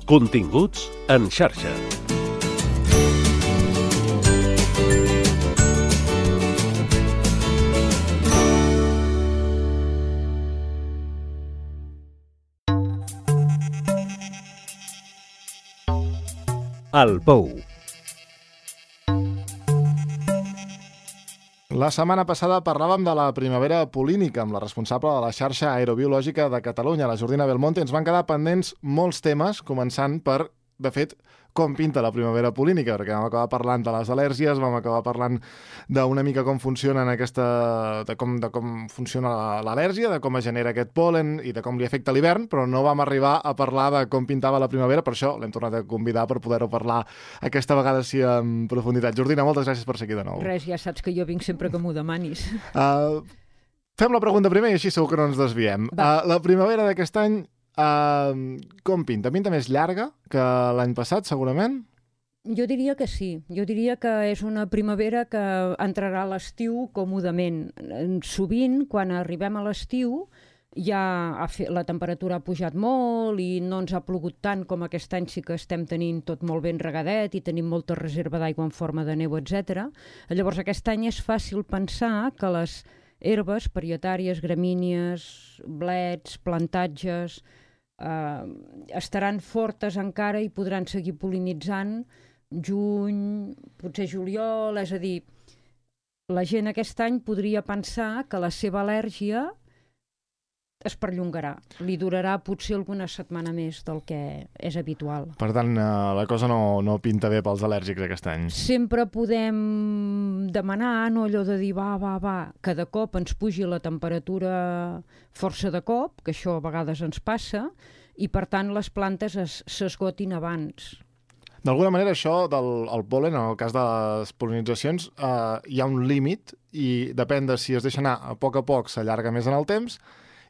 Continguts en xarxa. El Pou. La setmana passada parlàvem de la primavera polínica amb la responsable de la xarxa aerobiològica de Catalunya, la Jordina Belmonte. Ens van quedar pendents molts temes, començant per, de fet, com pinta la primavera polínica, perquè vam acabar parlant de les al·lèrgies, vam acabar parlant d'una mica com funciona de com funciona l'al·lèrgia, de com es genera aquest pol·len i de com li afecta l'hivern, però no vam arribar a parlar de com pintava la primavera, per això l'hem tornat a convidar per poder-ho parlar aquesta vegada sí en profunditat. Jordina, moltes gràcies per ser aquí de nou. Res, ja saps que jo vinc sempre que m'ho demanis. Fem la pregunta primer i així segur que no ens desviem. La primavera d'aquest any, com pinta? Pinta més llarga que l'any passat, segurament? Jo diria que sí. Jo diria que és una primavera que entrarà a l'estiu còmodament. Sovint, quan arribem a l'estiu, la temperatura ha pujat molt i no ens ha plogut tant com aquest any. Sí que estem tenint tot molt ben regadet i tenim molta reserva d'aigua en forma de neu, etc. Llavors, aquest any és fàcil pensar que les herbes parietàries, gramínies, blets, plantatges, estaran fortes encara i podran seguir pol·linitzant juny, potser juliol, és a dir, la gent aquest any podria pensar que la seva al·lèrgia es perllongarà. Li durarà potser alguna setmana més del que és habitual. Per tant, la cosa no pinta bé pels al·lèrgics aquest any. Sempre podem demanar, no allò de dir va, que de cop ens pugi la temperatura força de cop, que això a vegades ens passa, i per tant les plantes s'esgotin abans. D'alguna manera això del pol·len, en el cas de les pol·linitzacions, hi ha un límit i depèn de si es deixa anar a poc s'allarga més en el temps,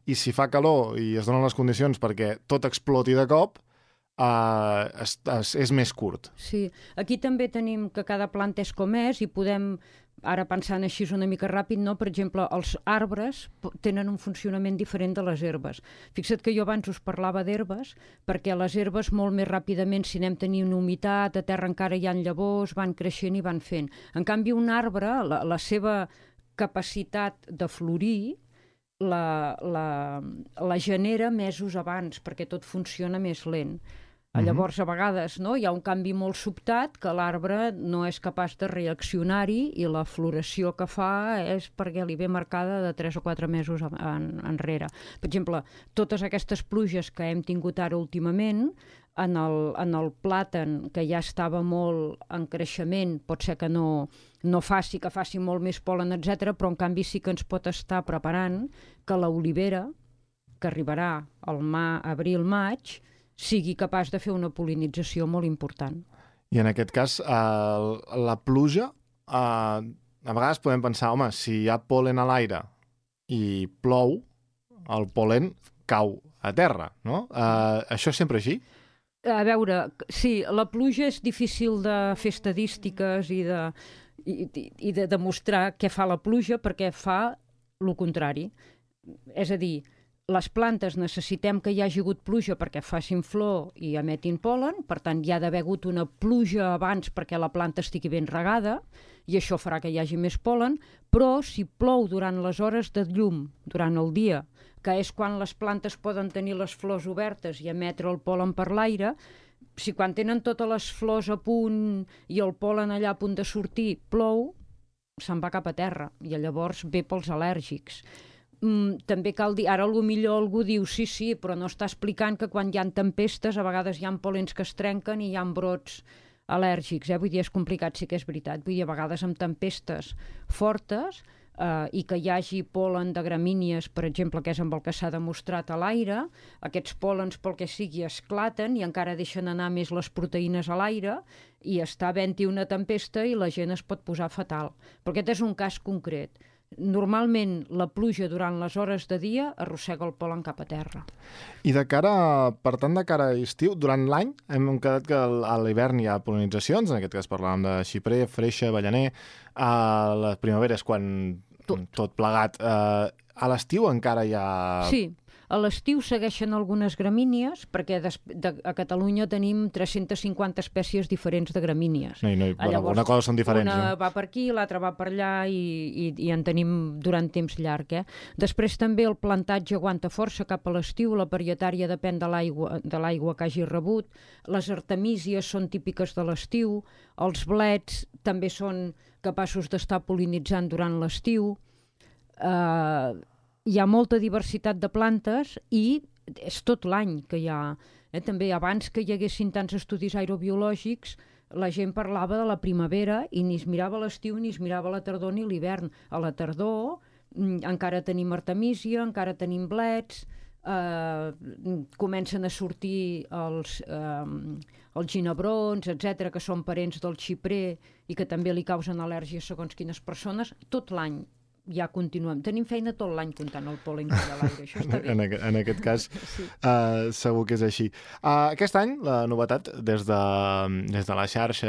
i si fa calor i es donen les condicions perquè tot exploti de cop, és més curt. Sí, aquí també tenim que cada planta és com és i podem, ara pensant així una mica ràpid, no? Per exemple, els arbres tenen un funcionament diferent de les herbes. Fixa't que jo abans us parlava d'herbes, perquè les herbes molt més ràpidament, si anem tenint humitat, a terra encara hi ha llavors, van creixent i van fent. En canvi, un arbre, la seva capacitat de florir, la genera mesos abans, perquè tot funciona més lent. Llavors, a vegades, hi ha un canvi molt sobtat que l'arbre no és capaç de reaccionar-hi i la floració que fa és perquè li ve marcada de 3 o 4 mesos enrere. Per exemple, totes aquestes pluges que hem tingut ara últimament, en el plàtan, que ja estava molt en creixement, pot ser que no faci, que faci molt més pol·len, etc., però en canvi sí que ens pot estar preparant que l'olivera, que arribarà al abril-maig, sigui capaç de fer una pol·linització molt important. I en aquest cas, la pluja, a vegades podem pensar, home, si hi ha pol·len a l'aire i plou, el pol·len cau a terra, no? Això és sempre així? A veure, sí, la pluja és difícil de fer estadístiques i de demostrar què fa la pluja, perquè fa el contrari. És a dir, les plantes necessitem que hi hagi hagut pluja perquè facin flor i emetin pol·len, per tant hi ha d'haver hagut una pluja abans perquè la planta estigui ben regada i això farà que hi hagi més pol·len, però si plou durant les hores de llum, durant el dia, que és quan les plantes poden tenir les flors obertes i emetre el pol·len per l'aire, si quan tenen totes les flors a punt i el pol·len allà a punt de sortir plou, se'n va cap a terra i llavors ve pels al·lèrgics. També cal dir, ara potser algú diu sí, però no està explicant que quan hi ha tempestes a vegades hi ha pol·lens que es trenquen i hi ha brots al·lèrgics, vull dir, és complicat, sí que és veritat, vull dir, a vegades amb tempestes fortes i que hi hagi pol·len de gramínies, per exemple, que és amb el que s'ha demostrat a l'aire, aquests pol·lens pel que sigui esclaten i encara deixen anar més les proteïnes a l'aire i està havent-hi una tempesta i la gent es pot posar fatal. Però aquest és un cas concret. Normalment la pluja durant les hores de dia arrossega el pol·len cap a terra. I per tant, de cara a estiu, durant l'any hem quedat que a l'hivern hi ha pol·linitzacions, en aquest cas parlàvem de xiprer, freixa, avellaner, a la primavera és quan tot plegat. A l'estiu encara hi ha... Sí, A l'estiu segueixen algunes gramínies, perquè a Catalunya tenim 350 espècies diferents de gramínies. Una cosa són diferents. Una va per aquí, l'altra va per allà i en tenim durant temps llarg. Després també el plantatge aguanta força cap a l'estiu, la parietària depèn de l'aigua que hagi rebut, les artemísies són típiques de l'estiu, els blets també són capaços d'estar pol·linitzant durant l'estiu. Hi ha molta diversitat de plantes i és tot l'any que hi ha. També abans que hi haguessin tants estudis aerobiològics, la gent parlava de la primavera i ni es mirava l'estiu, ni es mirava la tardor ni l'hivern. A la tardor encara tenim artemísia, encara tenim blets, comencen a sortir els ginebrons, etc, que són parents del xiprer i que també li causen al·lèrgia segons quines persones. Tot l'any ja continuem. Tenim feina tot l'any comptant el pol·len que hi ha a l'aire. Això està bé. En aquest cas, sí. Segur que és així. Aquest any, la novetat, des de la xarxa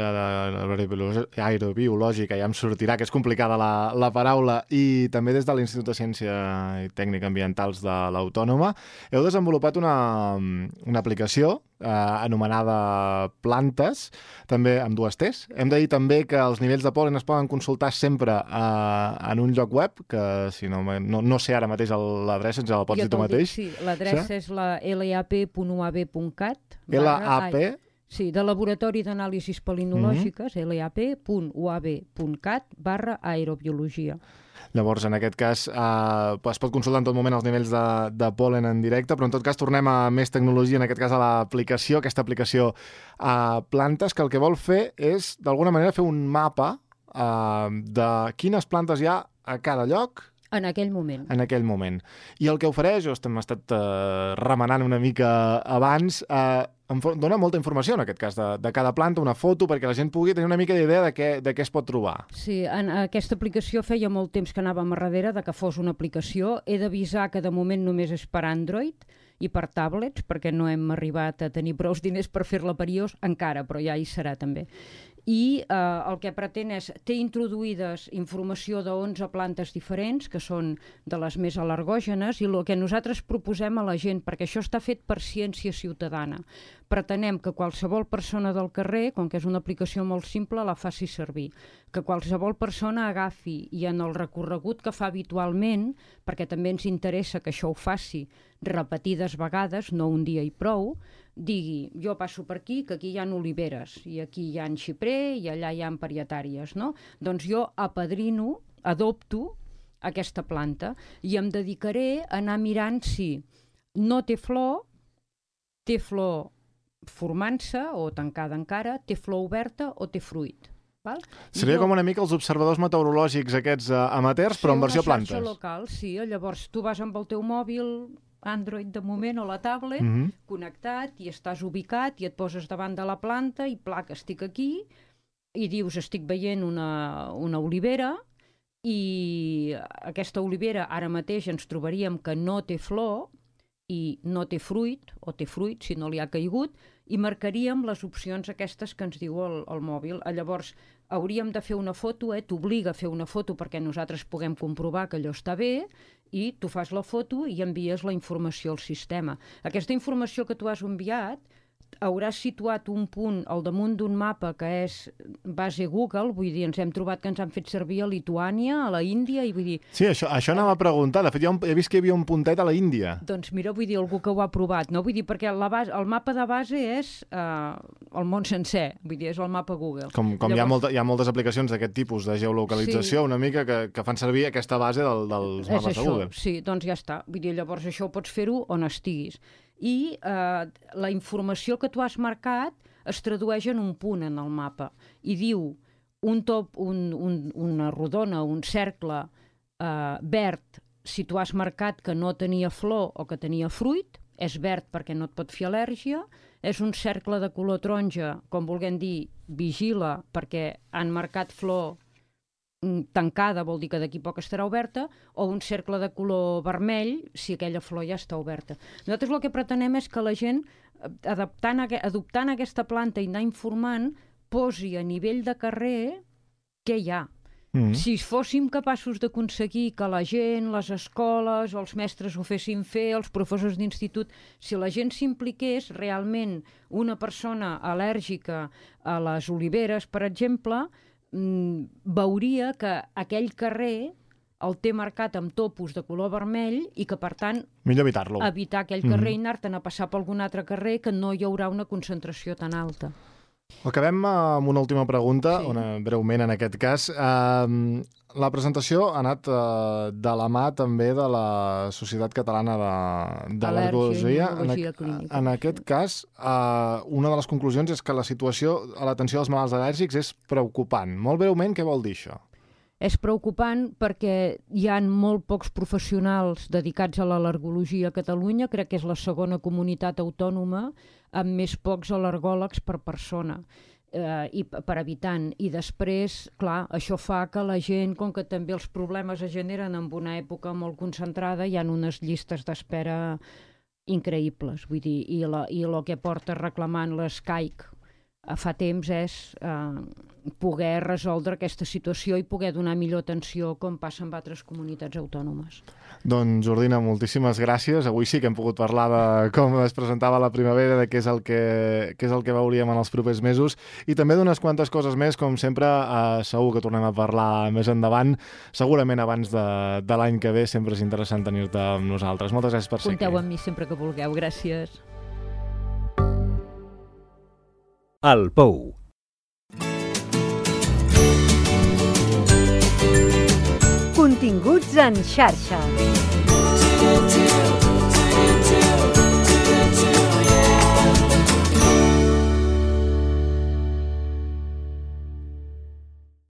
aerobiològica, ja em sortirà, que és complicada la paraula, i també des de l'Institut de Ciència i Tècnica Ambientals de l'Autònoma, heu desenvolupat una aplicació anomenada Plantes, també amb 2 T's. Hem de dir també que els nivells de pol·len es poden consultar sempre en un lloc web, que si no sé ara mateix l'adreça, ens la pots dir tu mateix. Sí, l'adreça és la lap.uab.cat. LAP? Sí, de Laboratori d'Anàlisis Pol·linològiques, lap.uab.cat/aerobiologia. Llavors, en aquest cas, es pot consultar en tot moment els nivells de pol·len en directe, però en tot cas tornem a més tecnologia, en aquest cas a l'aplicació, aquesta aplicació Plantes, que el que vol fer és, d'alguna manera, fer un mapa de quines plantes hi ha a cada lloc. En aquell moment. En aquell moment. I el que ofereix, hem estat remenant una mica abans, dona molta informació, en aquest cas, de cada planta, una foto, perquè la gent pugui tenir una mica d'idea de què es pot trobar. Sí, en aquesta aplicació feia molt temps que anàvem a darrere de que fos una aplicació. He d'avisar que de moment només és per Android i per tablets, perquè no hem arribat a tenir prou diners per fer-la per iOS encara, però ja hi serà també. I el que pretén és, té introduïdes informació de 11 plantes diferents, que són de les més al·lergògenes, i el que nosaltres proposem a la gent, perquè això està fet per ciència ciutadana, pretenem que qualsevol persona del carrer, com que és una aplicació molt simple, la faci servir. Que qualsevol persona agafi i en el recorregut que fa habitualment, perquè també ens interessa que això ho faci repetides vegades, no un dia i prou, digui, jo passo per aquí, que aquí hi ha oliveres, i aquí hi ha xiprer, i allà hi ha parietàries, no? Doncs jo apadrino, adopto aquesta planta i em dedicaré a anar mirant si no té flor formant-se o tancada encara, té flor oberta o té fruit. Val? Seria com una mica els observadors meteorològics aquests amateurs, però en versió plantes. Sí, una xarxa local, sí. Llavors tu vas amb el teu mòbil Android de moment o la tablet, connectat, i estàs ubicat i et poses davant de la planta i plac, estic aquí, i dius, estic veient una olivera, i aquesta olivera ara mateix ens trobaríem que no té flor i no té fruit, o té fruit si no li ha caigut, i marcaríem les opcions aquestes que ens diu el mòbil. Llavors hauríem de fer una foto, t'obliga a fer una foto perquè nosaltres puguem comprovar que allò està bé, i tu fas la foto i envies la informació al sistema. Aquesta informació que tu has enviat hauràs situat un punt al damunt d'un mapa que és base Google, vull dir, ens hem trobat que ens han fet servir a Lituània, a la Índia, i vull dir... Sí, això anava a preguntar. De fet, he vist que hi havia un puntet a la Índia. Doncs mira, vull dir, algú que ho ha provat, no? Vull dir, perquè el mapa de base és el món sencer, vull dir, és el mapa Google. Com llavors, hi ha moltes aplicacions d'aquest tipus de geolocalització, sí, una mica que fan servir aquesta base dels mapes de Google. Sí, doncs ja està. Vull dir, llavors això ho pots fer-ho on estiguis. I la informació que tu has marcat es tradueix en un punt en el mapa i diu una rodona, un cercle verd si tu has marcat que no tenia flor o que tenia fruit, és verd perquè no et pot fer al·lèrgia, és un cercle de color taronja, com vulguem dir, vigila perquè han marcat flor tancada, vol dir que d'aquí poc estarà oberta, o un cercle de color vermell si aquella flor ja està oberta. Nosaltres el que pretenem és que la gent, adoptant aquesta planta i anar informant, posi a nivell de carrer què hi ha. Si fóssim capaços d'aconseguir que la gent, les escoles o els mestres ho fessin fer, els professors d'institut, si la gent s'impliqués, realment una persona al·lèrgica a les oliveres, per exemple, veuria que aquell carrer el té marcat amb topos de color vermell i que, per tant, millor evitar-lo. Evitar aquell carrer i anar-te'n a passar per algun altre carrer que no hi haurà una concentració tan alta. Acabem amb una última pregunta, breument en aquest cas. La presentació ha anat de la mà també de la Societat Catalana d'Al·lergologia. En aquest cas, una de les conclusions és que la situació a l'atenció dels malalts al·lèrgics és preocupant. Molt breument, què vol dir això? És preocupant perquè hi ha molt pocs professionals dedicats a l'al·lergologia a Catalunya. Crec que és la segona comunitat autònoma amb més pocs al·lergòlegs per persona i per habitant. I després, clar, això fa que la gent, com que també els problemes es generen en una època molt concentrada, hi ha unes llistes d'espera increïbles. Vull dir, i el que porta reclamant l'SCAIC fa temps és poder resoldre aquesta situació i poder donar millor atenció com passa en altres comunitats autònomes. Doncs, Jordina, moltíssimes gràcies. Avui sí que hem pogut parlar de com es presentava la primavera, de què és el que veuríem en els propers mesos i també d'unes quantes coses més, com sempre, segur que tornem a parlar més endavant, segurament abans de l'any que ve. Sempre és interessant tenir-te amb nosaltres. Moltes gràcies per ser aquí. Compteu amb mi sempre que vulgueu. Gràcies. El Pou. Continguts en xarxa.